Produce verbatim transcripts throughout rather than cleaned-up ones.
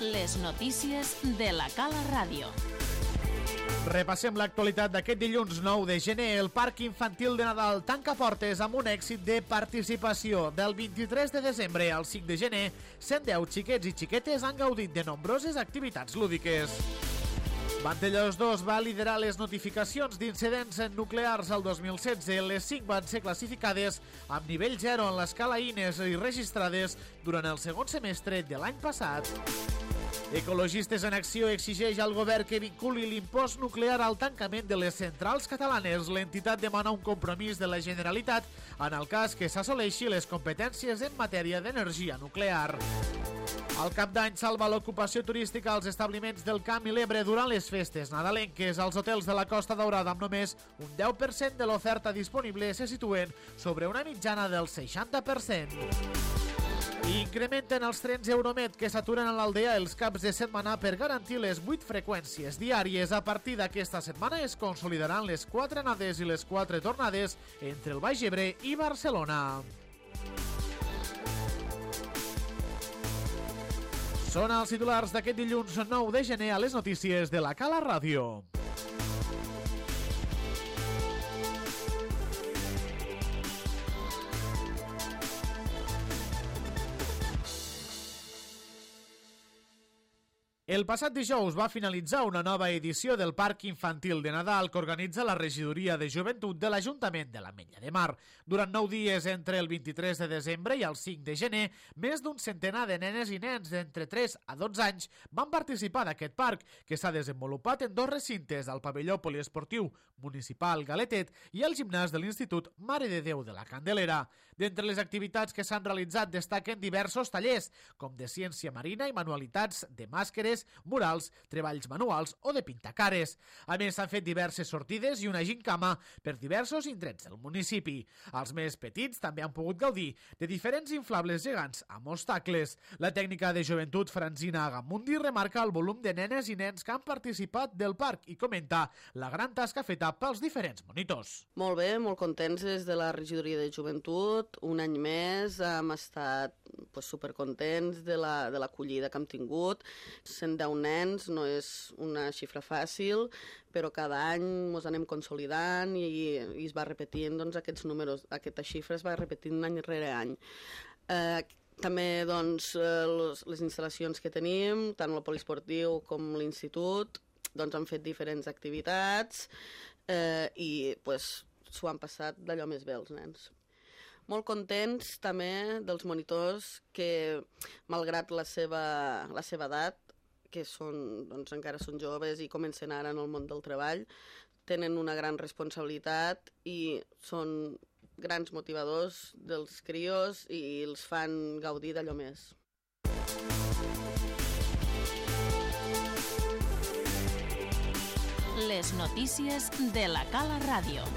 Les notícies de la Cala Ràdio. Repassem l'actualitat d'aquest dilluns nou de gener. El Parc Infantil de Nadal tanca portes amb un èxit de participació. Del vint-i-tres de desembre al cinc de gener, cent deu xiquets i xiquetes han gaudit de nombroses activitats lúdiques. Vandellòs dos va liderar les notificacions d'incidents nuclears al dos mil setze. Les cinc van ser classificades amb nivell zero en l'escala I N E S i registrades durant el segon semestre de l'any passat. Ecologistes en Acció exigeix al govern que vinculi l'impost nuclear al tancament de les centrals catalanes. L'entitat demana un compromís de la Generalitat en el cas que s'assoleixi les competències en matèria d'energia nuclear. El Cap d'Any salva l'ocupació turística als establiments del Camp i l'Ebre durant les festes nadalenques. Els hotels de la Costa Daurada, amb només un deu per cent de l'oferta disponible, se situen sobre una mitjana del seixanta per cent. Incrementen els trens Euromed que s'aturen a l'Aldea els caps de setmana per garantir les vuit freqüències diàries. A partir d'aquesta setmana es consolidaran les quatre anades i les quatre tornades entre el Baix Ebre i Barcelona. Són els titulars d'aquest dilluns nou de gener a les notícies de la Cala Ràdio. El passat dijous va finalitzar una nova edició del Parc Infantil de Nadal que organitza la Regidoria de Joventut de l'Ajuntament de l'Ametlla de Mar. Durant nou dies, entre el vint-i-tres de desembre i el cinc de gener, més d'un centenar de nenes i nens d'entre tres a dotze anys van participar d'aquest parc, que s'ha desenvolupat en dos recintes, el pavelló poliesportiu municipal Galetet i el gimnàs de l'Institut Mare de Déu de la Candelera. D'entre les activitats que s'han realitzat destaquen diversos tallers, com de ciència marina i manualitats de màscares, murals, treballs manuals o de pintacares. A més, s'han fet diverses sortides i una gincama per diversos indrets del municipi. Els més petits també han pogut gaudir de diferents inflables gegants amb obstacles. La tècnica de joventut Francina Agamundi remarca el volum de nenes i nens que han participat del parc i comenta la gran tasca feta pels diferents monitors. Molt bé, molt contents des de la Regidoria de Joventut. Un any més hem estat pues, supercontents de la, de l'acollida que hem tingut. cent deu nens no és una xifra fàcil, però cada any ens anem consolidant i, i es va repetint doncs, aquests números, aquesta xifra es va repetint any rere any. Eh, també doncs, les, les instal·lacions que tenim, tant el poliesportiu com l'institut, doncs, han fet diferents activitats eh, i pues, s'ho han passat d'allò més bé els nens. Molt contents també dels monitors que, malgrat la seva, la seva edat, que són, doncs, encara són joves i comencen ara en el món del treball, tenen una gran responsabilitat i són grans motivadors dels crios i els fan gaudir d'allò més. Les notícies de la Cala Ràdio.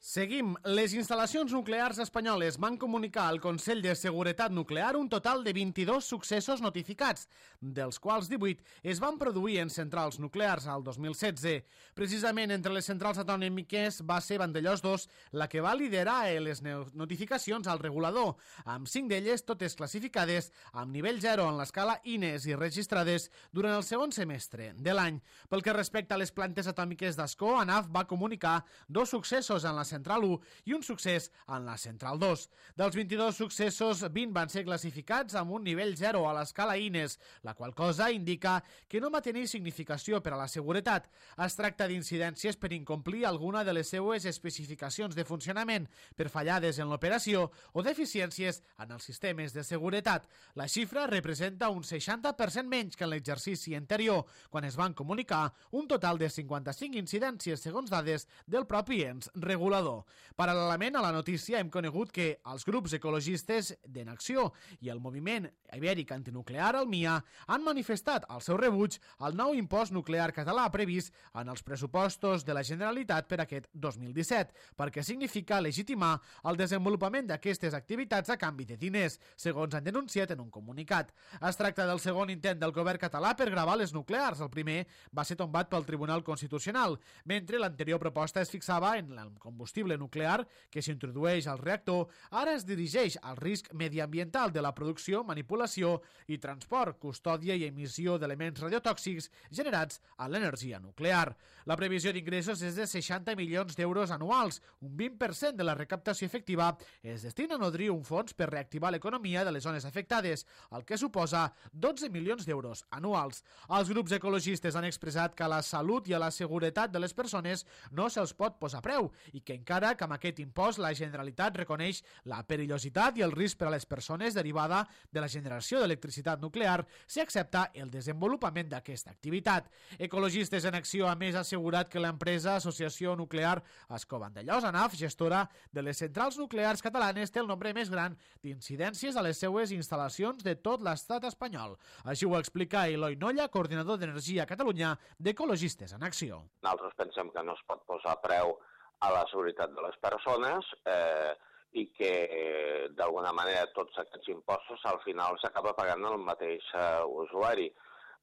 Seguim. Les instal·lacions nuclears espanyoles van comunicar al Consell de Seguretat Nuclear un total de vint-i-dos successos notificats, dels quals divuit es van produir en centrals nuclears al dos mil setze. Precisament entre les centrals atonòmiques va ser Vandellòs dos la que va liderar les notificacions al regulador, amb cinc d'elles totes classificades amb nivell zero en l'escala I N E S i registrades durant el segon semestre de l'any. Pel que respecta a les plantes atòmiques d'Ascó, ANAF va comunicar dos successos en la central u i un succés en la central dos. Dels vint-i-dos successos, vint van ser classificats amb un nivell zero a l'escala I N E S, la qual cosa indica que no va tenir significació per a la seguretat. Es tracta d'incidències per incomplir alguna de les seues especificacions de funcionament, per fallades en l'operació o deficiències en els sistemes de seguretat. La xifra representa un seixanta per cent menys que en l'exercici anterior, quan es van comunicar un total de cinquanta-cinc incidències segons dades del propi ens regulador. Paral·lelament a la notícia hem conegut que els grups ecologistes d'Enacció i el moviment ibèric antinuclear, el M I A, han manifestat el seu rebuig al nou impost nuclear català previst en els pressupostos de la Generalitat per aquest dos mil disset, perquè significa legitimar el desenvolupament d'aquestes activitats a canvi de diners, segons han denunciat en un comunicat. Es tracta del segon intent del govern català per gravar les nuclears. El primer va ser tombat pel Tribunal Constitucional, mentre l'anterior proposta es fixava en el combustible combustible nuclear que s'introdueix al reactor ara es dirigeix al risc mediambiental de la producció, manipulació i transport, custòdia i emissió d'elements radiotòxics generats a l'energia nuclear. La previsió d'ingressos és de seixanta milions d'euros anuals. Un vint per cent de la recaptació efectiva es destina a nodrir un fons per reactivar l'economia de les zones afectades, el que suposa dotze milions d'euros anuals. Els grups ecologistes han expressat que a la salut i a la seguretat de les persones no se'ls pot posar preu i que encara que amb aquest impost la Generalitat reconeix la perillositat i el risc per a les persones derivada de la generació d'electricitat nuclear si accepta el desenvolupament d'aquesta activitat. Ecologistes en Acció a més ha assegurat que l'empresa Associació Nuclear Ascó Vandellòs, ANAF, gestora de les centrals nuclears catalanes, té el nombre més gran d'incidències a les seues instal·lacions de tot l'estat espanyol. Així ho explica Eloi Nolla, coordinador d'Energia a Catalunya d'Ecologistes en Acció. Nosaltres pensem que no es pot posar preu a la seguretat de les persones eh, i que eh, d'alguna manera tots aquests impostos al final s'acaba pagant el mateix eh, usuari.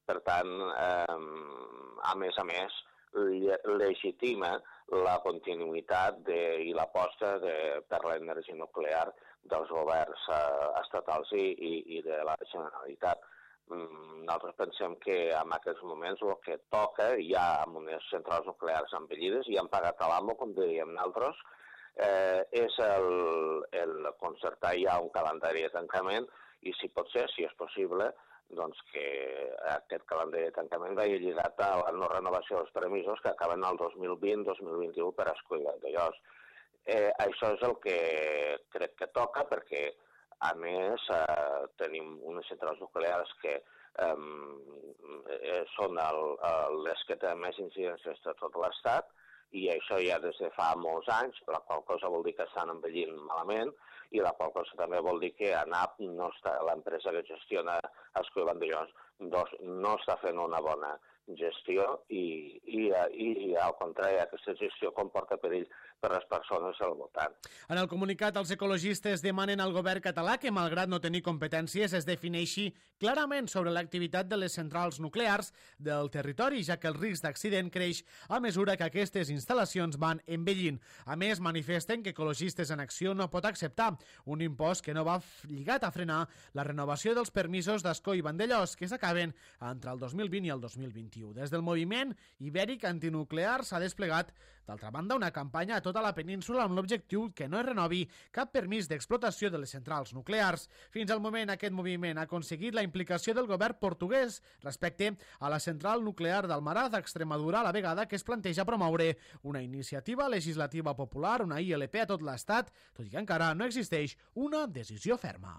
Per tant, eh, a més a més, legitima la continuïtat de, i l'aposta per l'energia nuclear dels governs eh, estatals i, i, i de la Generalitat. Nosaltres pensem que en aquests moments el que toca, ja amb unes centrals nuclears envellides i han pagat a l'amo, com diríem nosaltres, eh, és el, el concertar ja un calendari de tancament i, si pot ser, si és possible, doncs que aquest calendari de tancament vagi lligat a la no renovació dels permisos que acaben el dos mil vint dos mil vint-i-u per Ascó i Vandellòs. Eh, això és el que crec que toca perquè, a més, eh, tenim unes centrals nuclears que eh, són el, el, les que tenen més incidències de tot l'Estat i això ja des de fa molts anys, la qual cosa vol dir que estan envellint malament i la qual cosa també vol dir que ANAP, no està, l'empresa que gestiona Ascó i Vandellòs, no està fent una bona gestió i, i, i, i al contrari, aquesta gestió comporta perill per les persones al voltant. En el comunicat, els ecologistes demanen al govern català que, malgrat no tenir competències, es defineixi clarament sobre l'activitat de les centrals nuclears del territori, ja que el risc d'accident creix a mesura que aquestes instal·lacions van envellint. A més, manifesten que Ecologistes en Acció no pot acceptar un impost que no va lligat a frenar la renovació dels permisos d'Ascó i Vandellòs, que s'acaben entre el dos mil vint i el dos mil vint-i-u. Des del moviment ibèric antinuclear s'ha desplegat, d'altra banda, una campanya a tota la península amb l'objectiu que no es renovi cap permís d'explotació de les centrals nuclears. Fins al moment, aquest moviment ha aconseguit la implicació del govern portuguès respecte a la central nuclear d'Almaraz, a Extremadura, a la vegada que es planteja promoure una iniciativa legislativa popular, una I L P a tot l'Estat, tot i que encara no existeix una decisió ferma.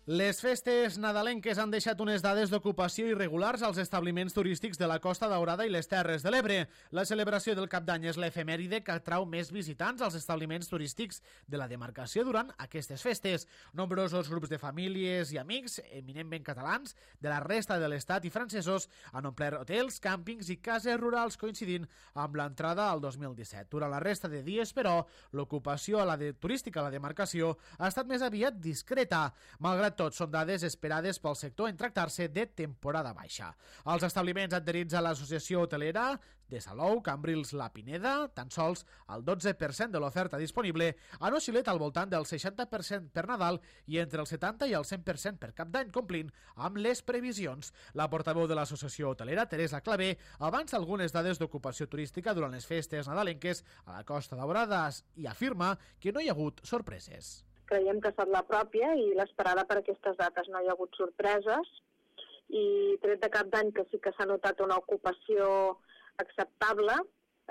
Les festes nadalenques han deixat unes dades d'ocupació irregulars als establiments turístics de la Costa Daurada i les Terres de l'Ebre. La celebració del Cap d'Any és l'efemèride que atrau més visitants als establiments turístics de la demarcació durant aquestes festes. Nombrosos grups de famílies i amics, eminentment catalans, de la resta de l'estat i francesos, han omplert hotels, càmpings i cases rurals coincidint amb l'entrada al dos mil disset. Durant la resta de dies, però, l'ocupació a la de turística a la demarcació ha estat més aviat discreta, malgrat tot, són dades esperades pel sector en tractar-se de temporada baixa. Els establiments adherits a l'associació hotelera de Salou, Cambrils, La Pineda, tan sols el dotze per cent de l'oferta disponible han oscil·lat al voltant del seixanta per cent per Nadal i entre el setanta i el cent per cent per Cap d'Any, complint amb les previsions. La portaveu de l'associació hotelera, Teresa Clavé, avança algunes dades d'ocupació turística durant les festes nadalenques a la Costa Daurada i afirma que no hi ha hagut sorpreses. Creiem que ha estat la pròpia i l'esperada per aquestes dates. No hi ha hagut sorpreses i tret de Cap d'Any que sí que s'ha notat una ocupació acceptable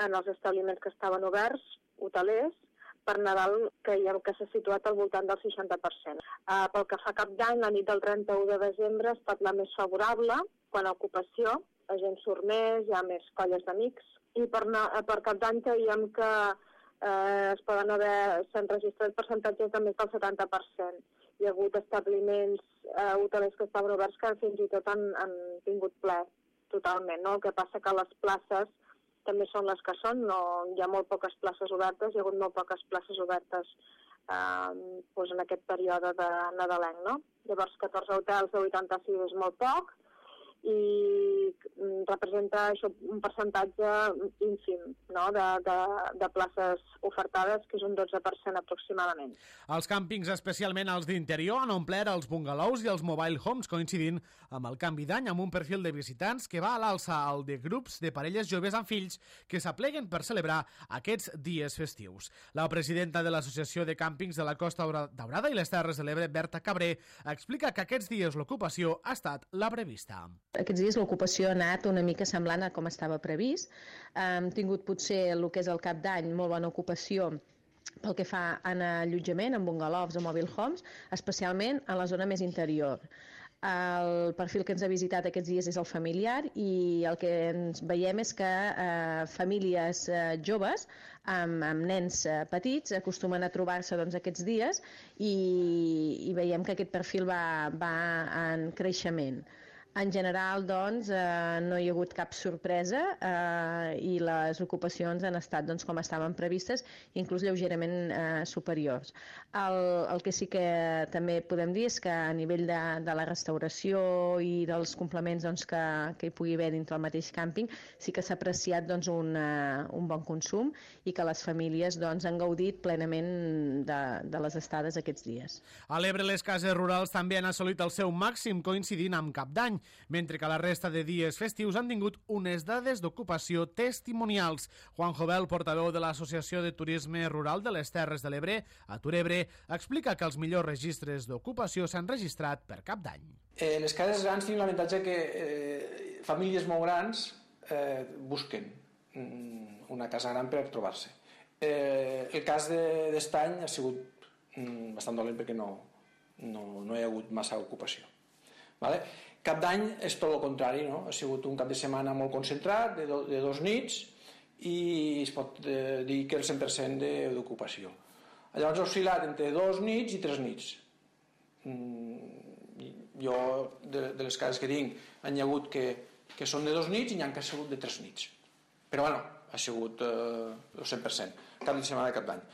en els establiments que estaven oberts, hotelers, per Nadal creiem que s'ha situat al voltant del seixanta per cent. Uh, pel que fa a Cap d'Any, la nit del trenta-u de desembre ha estat la més favorable quan a ocupació, la gent surt més, hi ha més colles d'amics i per, per Cap d'Any creiem que Eh, es poden haver, s'han registrat percentatges de més del setanta per cent. Hi ha hagut establiments eh, hotelers que estaven oberts que fins i tot han, han tingut ple totalment, no? El que passa que les places també són les que són, no, hi ha molt poques places obertes, hi ha hagut molt poques places obertes eh, doncs en aquest període de nadalenc, no? Llavors, catorze hotels de vuitanta-sis és molt poc, i representa això un percentatge ínfim, no? de, de, de places ofertades, que és un dotze per cent aproximadament. Els càmpings, especialment els d'interior, han omplert els bungalous i els mobile homes, coincidint amb el canvi d'any amb un perfil de visitants que va a l'alça al de grups de parelles joves amb fills que s'apleguen per celebrar aquests dies festius. La presidenta de l'Associació de Càmpings de la Costa Daurada i les Terres de l'Ebre, Berta Cabré, explica que aquests dies l'ocupació ha estat la prevista. Aquests dies l'ocupació ha anat una mica semblant a com estava previst. Hem tingut potser el que és el cap d'any molt bona ocupació pel que fa en allotjament, en bungalows o mobile homes, especialment a la zona més interior. El perfil que ens ha visitat aquests dies és el familiar i el que ens veiem és que eh, famílies eh, joves amb, amb nens eh, petits acostumen a trobar-se doncs, aquests dies i, i veiem que aquest perfil va, va en creixement. En general, doncs, eh, no hi ha hagut cap sorpresa eh, i les ocupacions han estat doncs, com estaven previstes, inclús lleugerament eh, superiors. El, el que sí que també podem dir és que a nivell de, de la restauració i dels complements doncs, que, que hi pugui haver dintre el mateix càmping, sí que s'ha apreciat doncs, un, uh, un bon consum i que les famílies doncs, han gaudit plenament de, de les estades aquests dies. A l'Ebre, les cases rurals també han assolit el seu màxim, coincidint amb Cap d'Any, mentre que la resta de dies festius han tingut unes dades d'ocupació testimonials. Juan Jovel, portaveu de l'Associació de Turisme Rural de les Terres de l'Ebre, a Turebre, explica que els millors registres d'ocupació s'han registrat per Cap d'Any. Eh, les cases grans tenen l'avantatge que eh, famílies molt grans eh, busquen una casa gran per trobar-se. Eh, el cas d'Estany ha sigut mm, bastant dolent perquè no, no, no hi ha hagut massa ocupació. Vale? Cap d'Any és tot el contrari, no? Ha sigut un cap de setmana molt concentrat, de, do, de dos nits, i es pot eh, dir que el cent per cent d'ocupació. Llavors ha oscil·lat entre dos nits i tres nits. Mm, jo, de, de les cases que tinc, han hi hagut que, que són de dos nits i n'hi ha que ha sigut de tres nits. Però bueno, ha sigut eh, el cent per cent, cap de setmana de Cap d'Any.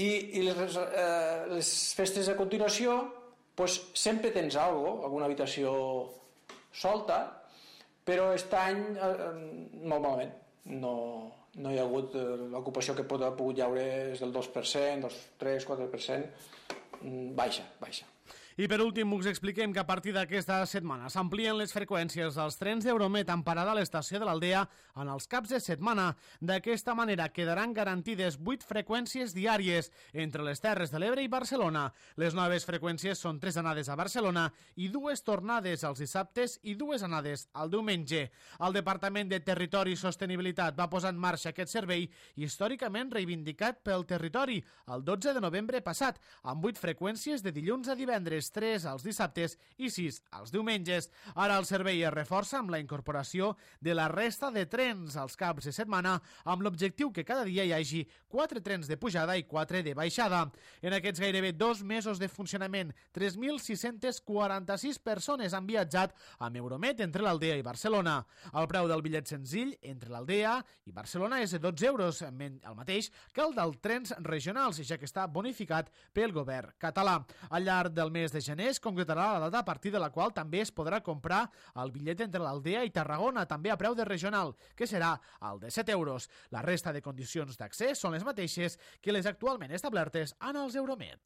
I, i les, eh, les festes a continuació, pues sempre tens alguna, alguna habitació solta, però aquest any eh, molt malament. No, no hi ha hagut eh, l'ocupació que pot haver pogut llaure és del dos per cent, dos, tres, quatre per cent, baixa, baixa. I per últim us expliquem que a partir d'aquesta setmana s'amplien les freqüències dels trens d'Euromet amb parada a l'estació de l'Aldea en els caps de setmana. D'aquesta manera quedaran garantides vuit freqüències diàries entre les Terres de l'Ebre i Barcelona. Les noves freqüències són tres anades a Barcelona i dues tornades els dissabtes i dues anades al diumenge. El Departament de Territori i Sostenibilitat va posar en marxa aquest servei històricament reivindicat pel territori el dotze de novembre passat, amb vuit freqüències de dilluns a divendres, tres als dissabtes i sis als diumenges. Ara el servei es reforça amb la incorporació de la resta de trens als caps de setmana amb l'objectiu que cada dia hi hagi quatre trens de pujada i quatre de baixada. En aquests gairebé dos mesos de funcionament, tres mil sis-centes quaranta-sis persones han viatjat amb Euromet entre l'Aldea i Barcelona. El preu del bitllet senzill entre l'Aldea i Barcelona és de dotze euros, el mateix que el dels trens regionals, ja que està bonificat pel govern català. Al llarg del mes de gener es concretarà la data a partir de la qual també es podrà comprar el bitllet entre l'Aldea i Tarragona, també a preu de regional, que serà el de set euros. La resta de condicions d'accés són les mateixes que les actualment establertes en els Euromet.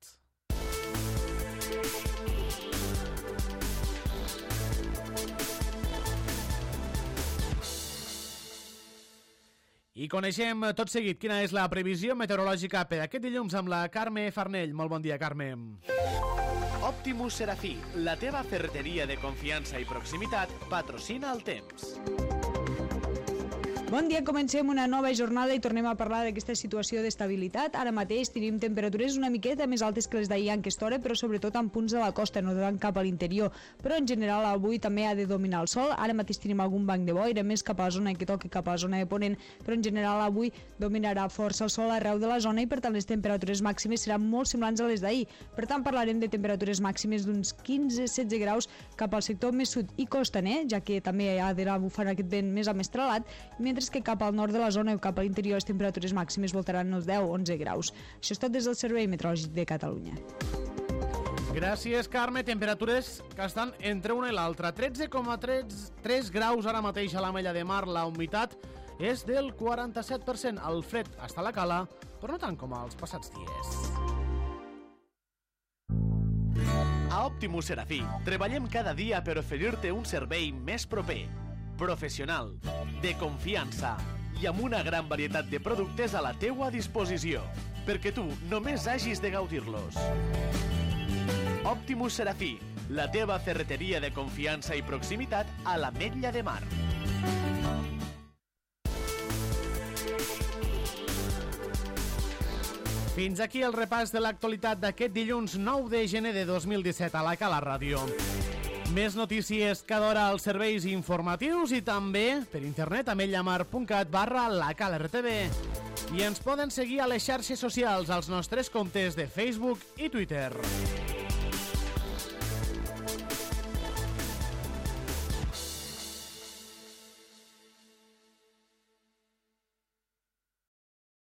I coneixem tot seguit quina és la previsió meteorològica per aquest dilluns amb la Carme Farnell. Molt bon dia, Carme. Optimus Serafí, la teva ferreteria de confiança i proximitat, patrocina el temps. Bon dia, comencem una nova jornada i tornem a parlar d'aquesta situació d'estabilitat. Ara mateix tenim temperatures una miqueta més altes que les d'ahir en aquesta hora, però sobretot en punts de la costa, no tant cap a l'interior. Però en general avui també ha de dominar el sol. Ara mateix tenim algun banc de boira, més cap a la zona que toca cap a la zona de Ponent, però en general avui dominarà força el sol arreu de la zona i per tant les temperatures màximes seran molt semblants a les d'ahir. Per tant parlarem de temperatures màximes d'uns quinze a setze graus cap al sector més sud i costaner, ja que també ha d'anar bufant aquest vent més amestrelat, mentre mentre que cap al nord de la zona o cap a l'interior les temperatures màximes voltaran els deu a onze graus. Això és tot des del Servei Meteorològic de Catalunya. Gràcies, Carme. Temperatures que estan entre una i l'altra. tretze coma tres graus ara mateix a l'Ametlla de Mar. La humitat és del quaranta-set per cent. El fred està a la cala, però no tant com els passats dies. A Optimus Serafí treballem cada dia per oferir-te un servei més proper, professional, de confiança i amb una gran varietat de productes a la teua disposició, perquè tu només hagis de gaudir-los. Optimus Serafí, la teva ferreteria de confiança i proximitat a l'Ametlla de Mar. Fins aquí el repàs de l'actualitat d'aquest dilluns nou de gener de dos mil disset a la Cala Ràdio. Més notícies cada hora als serveis informatius i també per internet a ametlla mar punt cat barra la Cala R T V. I ens poden seguir a les xarxes socials als nostres comptes de Facebook i Twitter.